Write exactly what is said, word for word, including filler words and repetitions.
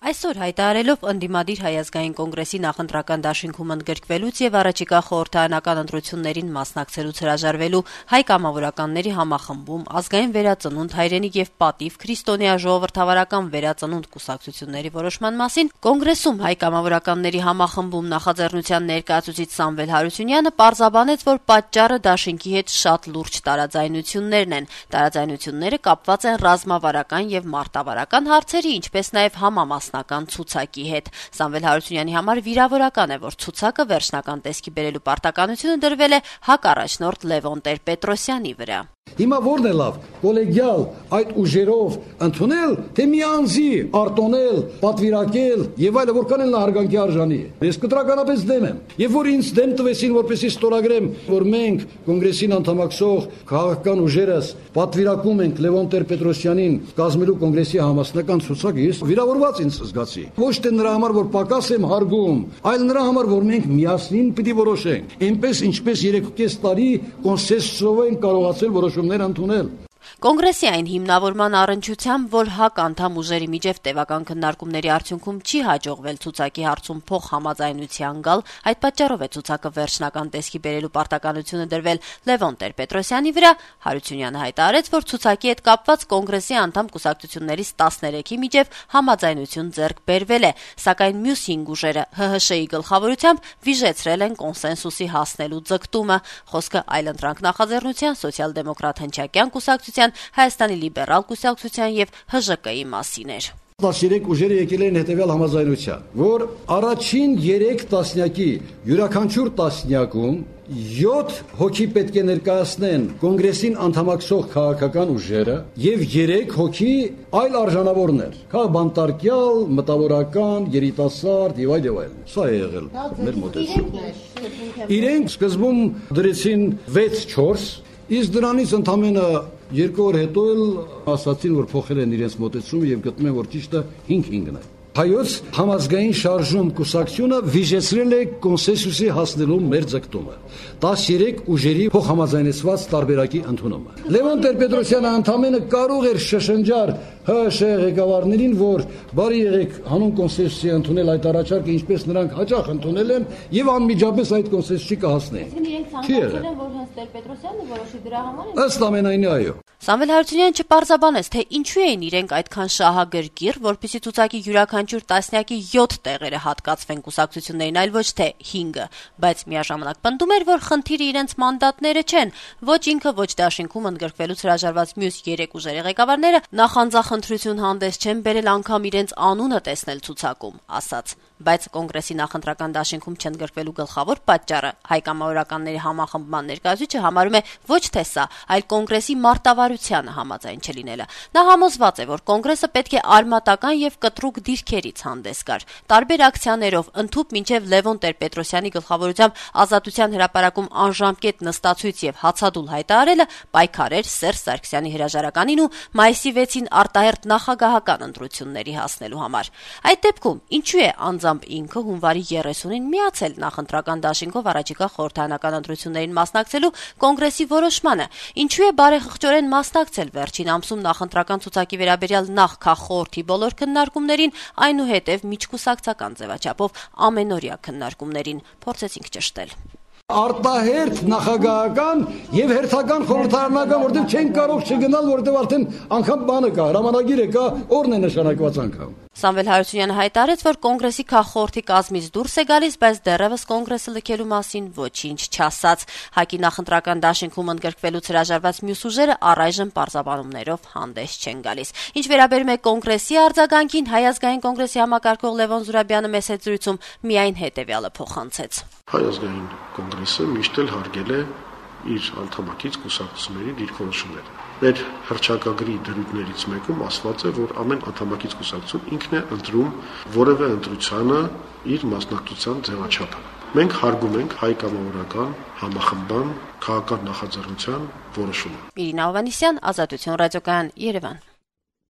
Այսօր հայտարարելով ընդդիմադիր Հայ ազգային կոնգրեսի նախընտրական դաշինքում ընդգրկվելուց եւ առաջիկա խորհրդարանական ընտրություններին մասնակցելուց հրաժարվելու հայ կամավորականների համախմբում ազգային վերածնունդ, հայրենիք եւ պատիվ քրիստոնյա ժողովրդավարական վերածնունդ կուսակցությունների որոշման մասին կոնգրեսում հայ կամավորականների համախմբում նախաձեռնության ներկայացուցիչ Սամվել Հարությունյանը պարզաբանեց, որ պատճառը դաշինքի հետ շատ լուրջ տարաձայնություններն են։ Տարաձայնությունները կապված են ռազմավարական եւ մարտավարական հարցերի, ինչպես նաեւ համամաս ցուցակի հետ։ Սամվել Հարությունյանի համար վիրավորական է, որ ցուցակը վերջնական տեսքի բերելու պարտականությունը դրվել է հակառաջնորդ Լևոն Տեր-Պետրոսյանի վրա։ Հիմա որն է լավ, կոլեգիալ այդ ուժերով ընդունել, թե միանձի արտոնել, պատվիրակել եւ այլը, որքան էլ հարգանքի արժանի է։ Ես կտրականապես դեմ եմ։ Եվ որ ինձ դեմ տվեցին, որպեսզի ստորագրեմ, որ մենք կոնգրեսին անդամակցող քաղաքական ուժերս պատվիրակում ենք Լևոն Տեր-Պետրոսյանին կազմելու կոնգրեսի համասնական ցուցակը, ես վիրավորված ինձ զգացի։ Ոչ թե նրա համար, որ պակաս եմ հարգում, այլ նրա համար, որ մենք միասին պիտի որոշենք։ Այնպես ինչպես երեք ու կես տարի կոնսենսուսով են կարողացել որոշումներ ընդունել։ Կոնգրեսի այն հիմնավորման առնչությամբ, որ հակ անդամ ուժերի միջև տևական քննարկումների արդյունքում չի հաջողվել ցուցակի հարցում փող համաձայնության գալ, այդ պատճառով է ցուցակը վերջնական տեսքի բերելու պարտականությունը դրվել Լևոն Տեր-Պետրոսյանի վրա, Հարությունյանը հայտարարեց, որ ցուցակի հետ կապված կոնգրեսի անդամ կուսակցություններից տասներեքի միջև համաձայնություն ձեռք բերվել է, սակայն մյուս հինգ ուժերը ՀՀՇ-ի գլխավորությամբ վիժեցրել են կոնսենսուսի հասնելու ձգտումը։ Խոսքը այլընտրանք նախաձեռնության, սոցիալ-դեմոկրատ հնչակյան կուսակցության, Հայաստանի լիբերալ կուսակցության եւ ՀԺԿ-ի մասին էր։ տասներեք ուժերը եկել են հետևյալ համաձայնության, որ առաջին երեք տասնյակի յուրաքանչյուր տասնյակում յոթ հոգի պետք է ներկայացնեն կոնգրեսին անդամակցող քաղաքական ուժերը եւ երեք հոգի այլ արժանավորներ, քաղբանտարկյալ, մտավորական, երիտասարդ եւ այլ եւ այլ։ Սա է եղել մեր մոտեցումը։ Իրենք սկզբում դրեցին վեց չորս, իսկ դրանից ընդամենը երկու օր հետո էլ ասացին, որ փոխել են իրենց մոտեցումը եւ գտնում են, որ ճիշտը հինգ հինգն է։ Հայոց համազգային շարժում կուսակցությունը վիժեցրել է կոնսենսուսի հասնելու մեր ձգտումը, տասներեք ուժերի փոխհամաձայնեցված տարբերակի ընդունումը։ Լևոն Տեր-Պետրոսյանը ընդամենը կարող էր շշնջար ՀՀՇ ղեկավարներին, որ բարի եղեք հանուն կոնսենսուսի ընդունել այդ առաջարկը, ինչպես նրանք հաճախ ընդունել են, եւ անմիջապես այդ կոնսենսուսի կհասնեն։ Չի եղել, որ հենց Տեր-Պետրոսյանը որոշի դրա համար։ Ըստ ամենայնի այո։ Սամվել Հարությունյանը չպարզաբանեց, թե ինչու էին իրենք այդքան շահագրգիռ, որպեսզի ցուցակի յուրաքանչյուր տասնյակի յոթ տեղերը հատկացվեն կուսակցություններին, այլ ոչ թե հինգը, բայց միաժամանակ պնդում էր, որ խնդիրը իրենց մանդատները չեն, ոչ ինքը, ոչ դաշինքում ընդգրկվելուց հրաժարված մյուս երեք ուժերի ղեկավարները նախանձախնդրություն հանդես չեն բերել անգամ իրենց անունը տեսնել ցուցակում, ասաց։ Բայց կոնգրեսի նախընտրական դաշինքում չընդգրկվելու գլխավոր պատճառը հայ կամավորականների համախմբման ներկայացուցիչը համարում է ոչ թե սա, այլ կոնգրեսի մարտավարությանը համաձայն չլինելը։ Նա համոզված է, որ կոնգրեսը պետք է արմատական եւ կտրուկ դիրքերից հանդես գար։ Տարբեր ակցիաներով ընդհուպ մինչեւ Լևոն Տեր-Պետրոսյանի գլխավորությամբ Ազատության հրապարակում անժամկետ նստացույց եւ հացադուլ հայտարարելը պայքարեր Սերժ Սարգսյանի հրաժարականին ու մայիսի վեցին արտահերթ նախագահական ընտրությունների հասնելու համար։ Այդ դեպքում ինչու է անձամբ ինքը հունվարի երեսունին միացել նախընտրական դաշինքով առաջիկա խորհրդարանական ընտրություններին մասնակցելու կոնգրեսի որոշմանը, ինչու է բարեխղճորեն մասնակցել վերջին ամսում նախընտրական ցուցակի վերաբերյալ նախ քաղխորհրդի բոլոր քննարկումներին, այնուհետև միջկուսակցական ձևաչափով ամենօրյա քննարկումներին, փորձեցինք ճշտել։ Արտահերթ նախագահական եւ հերթական խորհրդարանական, որտեղ չեն կարող չգնալ, որտեղ արդեն անգամ բանը կա, հրամանագիրը կա, օրն է նշանակված անգամ։ Սամվել Հարությունյանը հայտարարեց, որ կոնգրեսի քաղխորհրդի կազմից դուրս է գալիս, բայց դեռևս կոնգրեսը լքելու մասին ոչինչ չասաց։ ՀԱԿ-ի նախընտրական դաշինքում ընդգրկվելուց հրաժարված մյուս ուժերը առայժմ պարզաբանումներով հանդես չեն գալիս։ Ինչ վերաբերում է կոնգրեսի արձագանքին, Հայ ազգային կոնգրեսի համակարգող Լևոն Զուրաբյանը մեծ զրույցում միայն հետևյալը փոխանցեց։ Հայ ազգային կոնգրեսը միշտ էլ հարգել է իր անդամակից կուսակցությունների դիրքորոշումները։ Մեր հռչակագրի դրույթներից մեկում ասված է, որ ամեն անդամակից կուսակցություն ինքն է ընտրում որևէ ընտրությանը իր մասնակցության ձևաչափը։ Մենք հարգում ենք հայ կամավորական համախմբան քաղաքական նախաձեռնության որոշումը։ Իրինա Հովհաննիսյան, Ազատություն ռադիոկայան, Երևան։